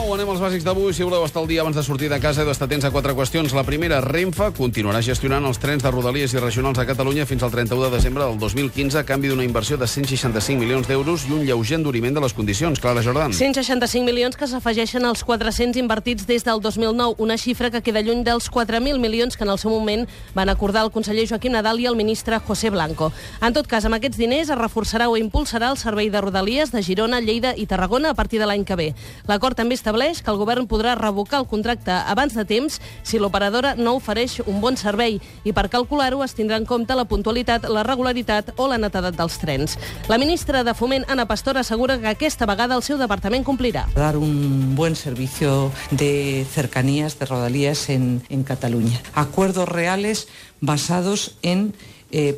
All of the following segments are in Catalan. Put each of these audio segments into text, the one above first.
9, anem als bàsics d'avui. Si voleu estar al dia abans de sortir de casa, heu d'estar atents a 4 qüestions. La primera, Renfe continuarà gestionant els trens de Rodalies i regionals a Catalunya fins al 31 de desembre del 2015 a canvi d'una inversió de 165 milions d'euros i un lleuger enduriment de les condicions. Clara Jordan. 165 milions que s'afegeixen als 400 invertits des del 2009, una xifra que queda lluny dels 4.000 milions que en el seu moment van acordar el conseller Joaquim Nadal i el ministre José Blanco. En tot cas, amb aquests diners es reforçarà o impulsarà el servei de Rodalies de Girona, Lleida i Tarragona a partir de l'any que ve. L'acord també estableix que el govern podrà revocar el contracte abans de temps si l'operadora no ofereix un bon servei i per calcular-ho es tindrà en compte la puntualitat, la regularitat o la netedat dels trens. La ministra de Foment, Ana Pastor, assegura que aquesta vegada el seu departament complirà. Dar un buen servicio de cercanías, de Rodalías en Cataluña. Acuerdos reales basados en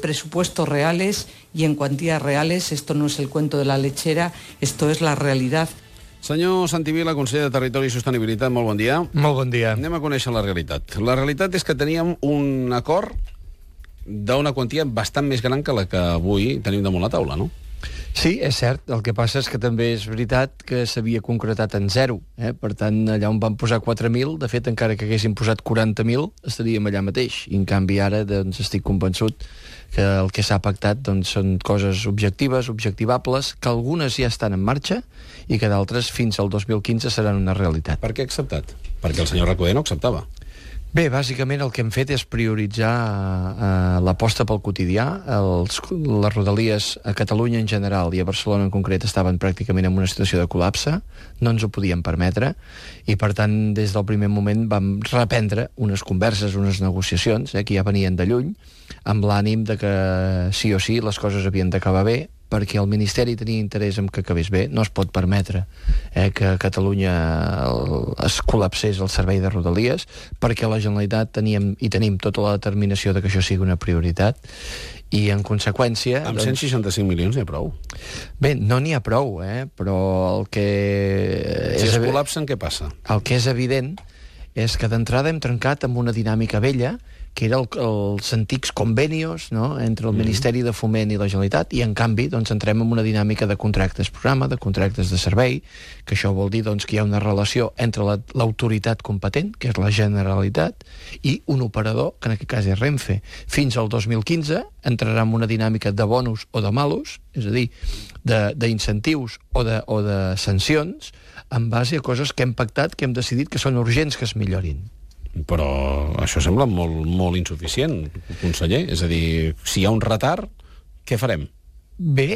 presupuestos reales y en cuantías reales. Esto no es el cuento de la lechera, esto es la realidad. Senyor Santi Vila, conseller de Territori i Sostenibilitat, molt bon dia. Molt bon dia. Anem a conèixer la realitat. La realitat és que teníem un acord d'una quantia bastant més gran que la que avui tenim damunt la taula, no? Sí, és cert. El que passa és que també és veritat que s'havia concretat en 0. Per tant, allà on van posar 4.000, de fet, encara que haguessin posat 40.000, estaríem allà mateix. I, en canvi, ara doncs, estic convençut que el que s'ha pactat doncs, són coses objectives, objectivables, que algunes ja estan en marxa i que d'altres fins al 2015 seran una realitat. Per què ha acceptat? Perquè el senyor Recoder no acceptava. Bé, bàsicament el que hem fet és prioritzar l'aposta pel quotidià. Les Rodalies a Catalunya en general i a Barcelona en concret estaven pràcticament en una situació de col·lapse, no ens ho podíem permetre, i per tant des del primer moment vam reprendre unes converses, unes negociacions, que ja venien de lluny, amb l'ànim de que sí o sí les coses havien d'acabar bé, perquè el Ministeri tenia interès en que acabés bé. No es pot permetre que a Catalunya es col·lapsés el servei de Rodalies, perquè la Generalitat tenim tota la determinació de que això sigui una prioritat, i en conseqüència... Amb 165 milions n'hi ha prou. Bé, no n'hi ha prou, però el que... Si es col·lapsen, què passa? El que és evident és que d'entrada hem trencat amb una dinàmica vella, que era els antics convenios, no?, entre el Ministeri de Foment i la Generalitat, i en canvi doncs, entrem en una dinàmica de contractes programa, de contractes de servei, que això vol dir doncs, que hi ha una relació entre l'autoritat competent, que és la Generalitat, i un operador, que en aquest cas és Renfe. Fins al 2015 entrarà en una dinàmica de bonus o de malus, és a dir, d'incentius o de sancions, en base a coses que hem pactat, que hem decidit que són urgents que es millorin. Però això sembla molt insuficient, conseller. És a dir, si hi ha un retard, què farem? Bé,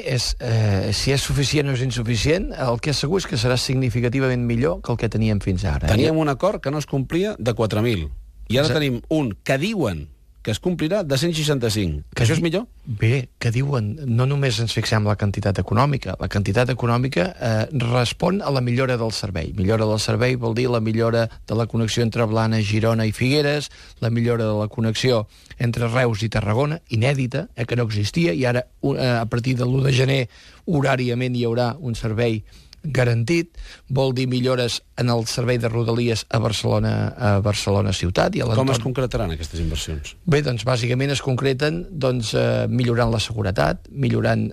si és suficient o és insuficient, el que és segur és que serà significativament millor que el que teníem fins ara. Teníem un acord que no es complia de 4.000, i ara tenim un que diuen que es complirà de 165. Que això és millor? Bé, que diuen, no només ens fixem la quantitat econòmica. La quantitat econòmica respon a la millora del servei. Millora del servei vol dir la millora de la connexió entre Blanes, Girona i Figueres, la millora de la connexió entre Reus i Tarragona, inèdita, que no existia, i ara, a partir de l'1 de gener, horàriament hi haurà un servei garantit, vol dir millores en el servei de Rodalies a Barcelona ciutat. I com es concretaran aquestes inversions? Bé, doncs bàsicament es concreten millorant la seguretat, millorant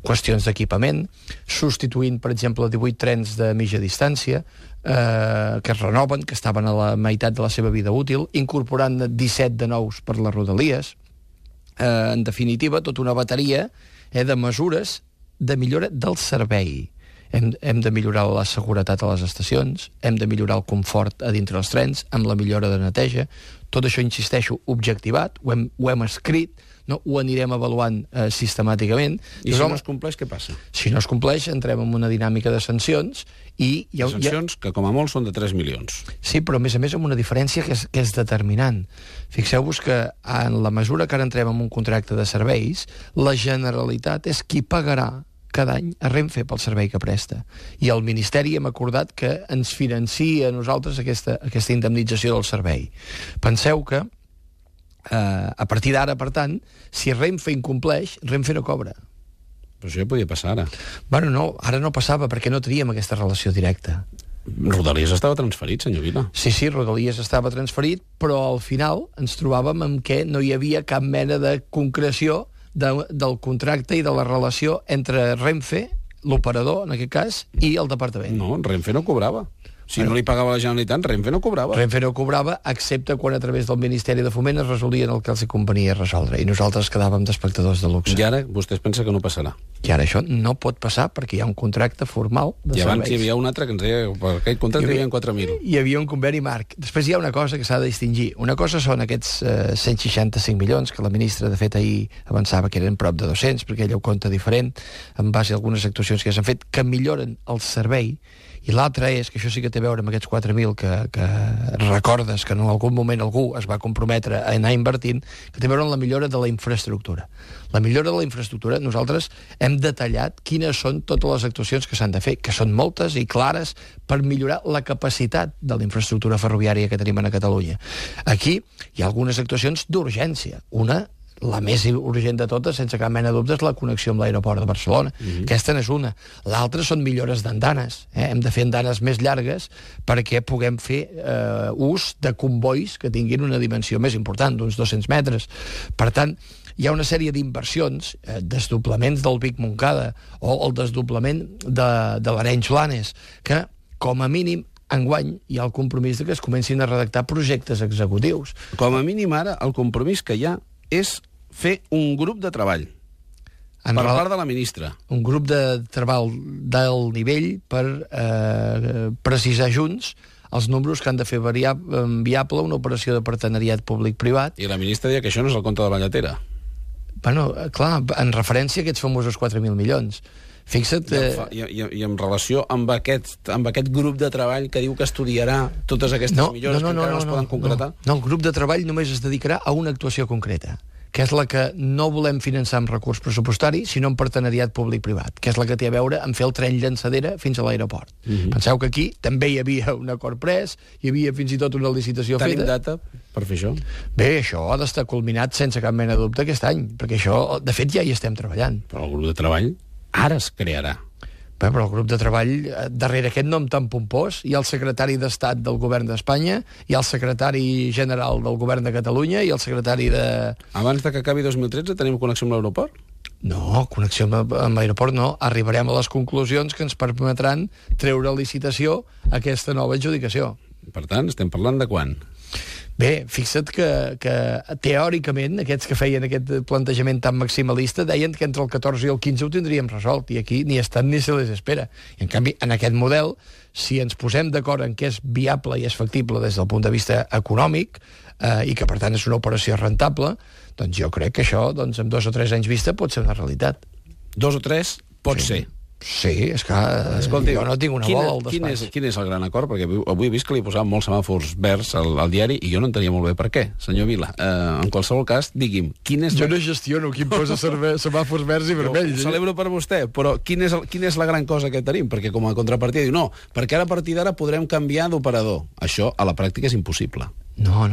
qüestions d'equipament, substituint, per exemple, 18 trens de mitja distància que es renoven, que estaven a la meitat de la seva vida útil, incorporant 17 de nous per les Rodalies. En definitiva, tota una bateria de mesures de millora del servei. Hem de millorar la seguretat a les estacions, hem de millorar el confort a dintre dels trens, amb la millora de neteja. Tot això, insisteixo, objectivat, ho hem escrit, no? Ho anirem avaluant sistemàticament. I si no es compleix, què passa? Si no es compleix, entrem en una dinàmica de sancions i... Sancions que, com a molt, són de 3 milions. Sí, però a més amb una diferència que és determinant. Fixeu-vos que en la mesura que ara entrem en un contracte de serveis, la Generalitat és qui pagarà cada any a Renfe pel servei que presta. I el Ministeri hem acordat que ens financia a nosaltres aquesta indemnització del servei. Penseu que a partir d'ara, per tant, si Renfe incompleix, Renfe no cobra. Però això ja podia passar ara. Bueno, no, ara no passava perquè no teníem aquesta relació directa. Rodalies estava transferit, senyor Vila. Sí, Rodalies estava transferit, però al final ens trobàvem amb que no hi havia cap mena de concreció del contracte i de la relació entre Renfe, l'operador, en aquest cas, i el departament. No, Renfe no cobrava. Si no li pagava la Generalitat, Renfe no cobrava. Renfe no cobrava, excepte quan a través del Ministeri de Foment es resolien el que els convenia resoldre, i nosaltres quedàvem d'espectadors de luxe. I ara vostès pensa que no passarà. I ara això no pot passar perquè hi ha un contracte formal de serveis. I abans hi havia un altre que ens deia que per aquell contracte hi havia 4.000. Hi havia un conveni marc. Després hi ha una cosa que s'ha de distingir. Una cosa són aquests 165 milions que la ministra, de fet, ahir avançava que eren prop de 200, perquè ella ho compta diferent, en base a algunes actuacions que ja s'han fet, que milloren el servei. I l'altre és, que això sí que té a veure amb aquests 4.000 que recordes que en algun moment algú es va comprometre a anar invertint, que té a veure amb la millora de la infraestructura. La millora de la infraestructura, nosaltres hem detallat quines són totes les actuacions que s'han de fer, que són moltes i clares per millorar la capacitat de la infraestructura ferroviària que tenim a Catalunya. Aquí hi ha algunes actuacions d'urgència. Una, la més urgent de totes, sense cap mena de dubte, és la connexió amb l'aeroport de Barcelona. Aquesta n'és una. L'altra són millores d'andanes. Hem de fer andanes més llargues perquè puguem fer ús de convois que tinguin una dimensió més important, d'uns 200 metres. Per tant, hi ha una sèrie d'inversions, desdoblaments del Vic-Montcada o el desdoblament de l'Arenys-Blanes, que, com a mínim, enguany hi ha el compromís de que es comencin a redactar projectes executius. Com a mínim ara, el compromís que hi ha és fer un grup de treball per part de la ministra. Un grup de treball d'alt nivell per precisar junts els números que han de fer viable una operació de partenariat públic-privat. I la ministra deia que això no és el compte de la lletera. Bueno, clar, en referència a aquests famosos 4.000 milions. Fixa't... I en relació amb aquest grup de treball que diu que estudiarà totes aquestes millores que encara no es poden concretar? No, el grup de treball només es dedicarà a una actuació concreta, que és la que no volem finançar amb recurs pressupostari, sinó amb partenariat públic-privat, que és la que té a veure amb fer el tren llançadera fins a l'aeroport. Penseu que aquí també hi havia un acord pres, hi havia fins i tot una licitació feta. Tenim data per fer això? Bé, això ha d'estar culminat sense cap mena de dubte aquest any, perquè això, de fet, ja hi estem treballant. Però el grup de treball ara es crearà. Bé, però el grup de treball, darrere aquest nom tan pompós, hi ha el secretari d'Estat del govern d'Espanya, hi ha el secretari general del govern de Catalunya i el secretari de... Abans de que acabi 2013 tenim connexió amb l'aeroport? No, connexió amb l'aeroport no. Arribarem a les conclusions que ens permetran treure a licitació aquesta nova adjudicació. Per tant, estem parlant de quan? Bé, fixa't que teòricament aquests que feien aquest plantejament tan maximalista deien que entre el 14 i el 15 ho tindríem resolt, i aquí ni estan ni se les espera. I en canvi, en aquest model, si ens posem d'acord en què és viable i és factible des del punt de vista econòmic, i que per tant és una operació rentable, doncs jo crec que això, doncs, amb 2 o 3 anys vista, pot ser una realitat. 2 o 3 pot ser. Sí, és que escolti, jo no tinc una bola al despatx. Quin és el gran acord? Perquè avui he vist que li posaven molts semàfors verds al diari i jo no entenia molt bé per què, senyor Vila. En qualsevol cas, digui'm, quin és... Jo no gestiono qui em posa semàfors verds i vermells. Ho celebro per vostè, però quina és la gran cosa que tenim? Perquè com a contrapartida diu, no, perquè ara a partir d'ara podrem canviar d'operador. Això a la pràctica és impossible. No.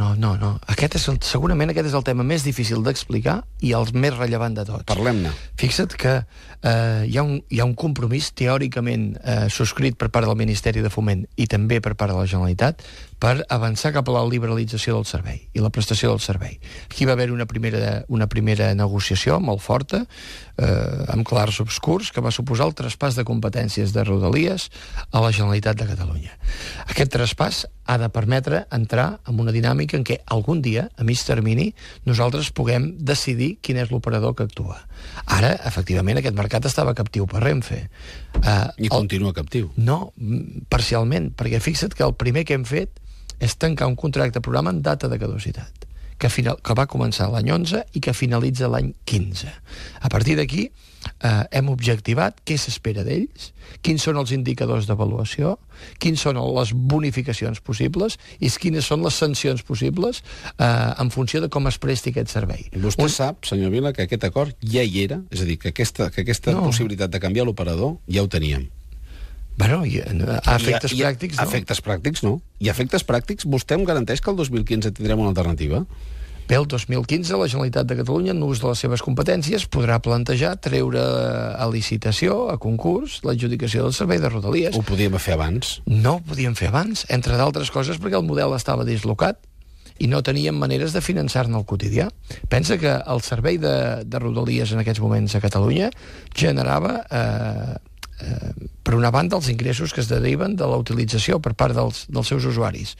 Segurament aquest és el tema més difícil d'explicar i el més rellevant de tots. Parlem-ne. Fixa't que hi ha un compromís teòricament subscrit per part del Ministeri de Foment i també per part de la Generalitat per avançar cap a la liberalització del servei i la prestació del servei. Aquí va haver una primera negociació molt forta, amb clars obscurs, que va suposar el traspàs de competències de Rodalies a la Generalitat de Catalunya. Aquest traspàs ha de permetre entrar en una dinàmica en què algun dia, a mig termini, nosaltres puguem decidir quin és l'operador que actua. Ara, efectivament, aquest mercat estava captiu per Renfe. I continua captiu. No, parcialment, perquè fixa't que el primer que hem fet és tancar un contracte programa en data de caducitat, que va començar l'any 11 i que finalitza l'any 15. A partir d'aquí hem objectivat què s'espera d'ells, quins són els indicadors d'avaluació, quines són les bonificacions possibles i quines són les sancions possibles en funció de com es presti aquest servei. Vostè sap, senyor Vila, que aquest acord ja hi era, és a dir, que aquesta possibilitat de canviar l'operador ja ho teníem. Bueno, a efectes pràctics, no. A efectes pràctics, no. I a efectes pràctics, vostè em garanteix que el 2015 tindrem una alternativa? Bé, el 2015 la Generalitat de Catalunya, en ús de les seves competències, podrà plantejar treure a licitació, a concurs, l'adjudicació del servei de Rodalies. Ho podíem fer abans? No ho podíem fer abans, entre d'altres coses perquè el model estava dislocat i no teníem maneres de finançar-ne el quotidià. Pensa que el servei de Rodalies en aquests moments a Catalunya generava per una banda, els ingressos que es deriven de la utilització per part dels seus usuaris.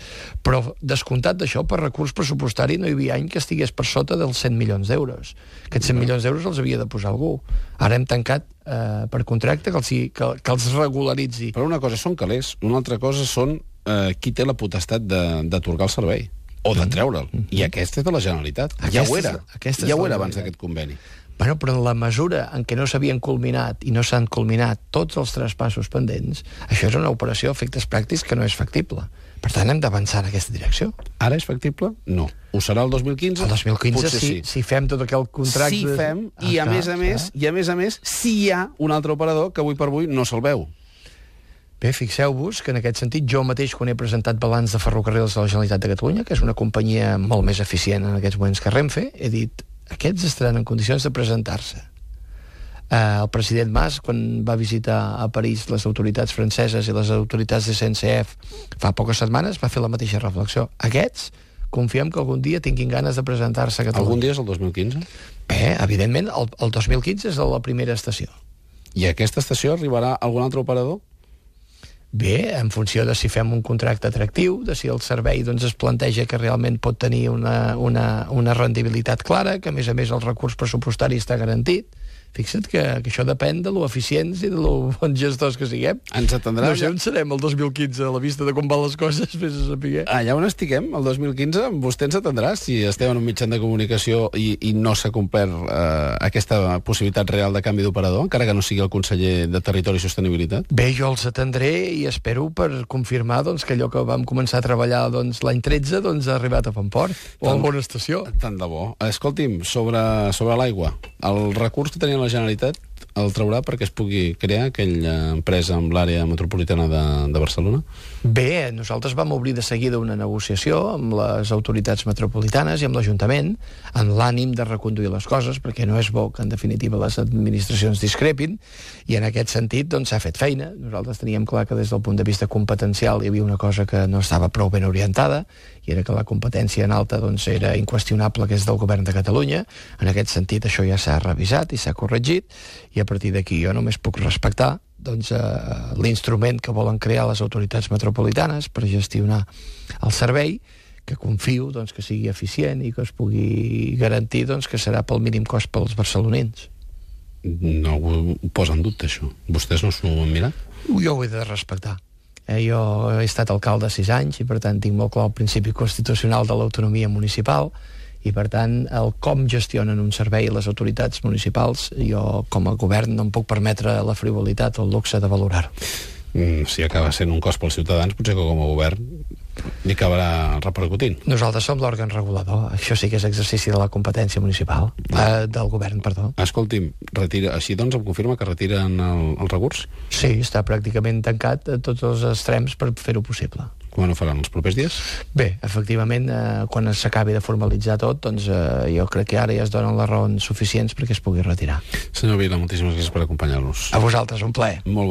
Però, descomptat d'això, per recurs pressupostari no hi havia any que estigués per sota dels 100 milions d'euros. Aquests 100 milions d'euros els havia de posar algú. Ara hem tancat per contracte que els regularitzi. Però una cosa són calés, una altra cosa són qui té la potestat d'atorgar el servei o de treure'l. I aquesta és de la Generalitat. Ja ho era abans d'aquest conveni. Bueno, però en la mesura en què no s'havien culminat i no s'han culminat tots els traspassos pendents, això és una operació a efectes pràctics que no és factible. Per tant, hem d'avançar en aquesta direcció. Ara és factible? No. Ho serà el 2015? El 2015, potser si fem tot aquell contracte... Si fem, i a més a més, si hi ha un altre operador que avui per avui no se'l veu. Bé, fixeu-vos que en aquest sentit jo mateix, quan he presentat balanç de ferrocarrils de la Generalitat de Catalunya, que és una companyia molt més eficient en aquests moments que Renfe, he dit, aquests estaran en condicions de presentar-se. El president Mas, quan va visitar a París les autoritats franceses i les autoritats de SNCF fa poques setmanes, va fer la mateixa reflexió. Aquests, confiem que algun dia tinguin ganes de presentar-se a Catalunya. Algun dia és el 2015? Bé, evidentment, el 2015 és la primera estació. I a aquesta estació arribarà algun altre operador? Bé, en funció de si fem un contracte atractiu, de si el servei es planteja que realment pot tenir una rendibilitat clara, que a més el recurs pressupostari està garantit. Fixa't que això depèn de lo eficients i de lo bons gestors que siguem. Ens atendrà... No sé on serem el 2015, a la vista de com van les coses, vés a saber. Allà on estiguem, el 2015, vostè ens atendrà si estem en un mitjà de comunicació i no s'ha complert aquesta possibilitat real de canvi d'operador, encara que no sigui el conseller de Territori i Sostenibilitat? Bé, jo els atendré i espero per confirmar que allò que vam començar a treballar l'any 13 ha arribat a bon port, o a bona estació. Tant de bo. Escolti'm, sobre l'aigua, el recurs que tenia la Generalitat el traurà perquè es pugui crear aquella empresa amb l'àrea metropolitana de Barcelona? Bé, nosaltres vam obrir de seguida una negociació amb les autoritats metropolitanes i amb l'Ajuntament en l'ànim de reconduir les coses, perquè no és bo que en definitiva les administracions discrepin, i en aquest sentit s'ha fet feina. Nosaltres teníem clar que des del punt de vista competencial hi havia una cosa que no estava prou ben orientada, i era que la competència en alta era inqüestionable, que és del govern de Catalunya. En aquest sentit això ja s'ha revisat i s'ha corregit, i a partir d'aquí jo només puc respectar l'instrument que volen crear les autoritats metropolitanes per gestionar el servei, que confio que sigui eficient i que es pugui garantir que serà pel mínim cost pels barcelonins. No ho posa en dubte, això. Vostès no s'ho han mirat? Jo ho he de respectar. Jo he estat alcalde 6 anys i per tant tinc molt clar el principi constitucional de l'autonomia municipal, i per tant el com gestionen un servei les autoritats municipals, jo com a govern no em puc permetre la frivolitat o el luxe de valorar-ho. Si acaba sent un cost pels ciutadans, potser que com a govern li acabarà repercutint. Nosaltres som l'òrgan regulador. Això sí que és exercici de la competència municipal, del govern, perdó. Escolti'm, així em confirma que retiren el recurs? Sí, està pràcticament tancat a tots els extrems per fer-ho possible. Quan ho faran, els propers dies? Bé, efectivament, quan s'acabi de formalitzar tot, jo crec que ara ja es donen les raons suficients perquè es pugui retirar. Senyor Vila, moltíssimes gràcies per acompanyar-nos. A vosaltres, un plaer. Molt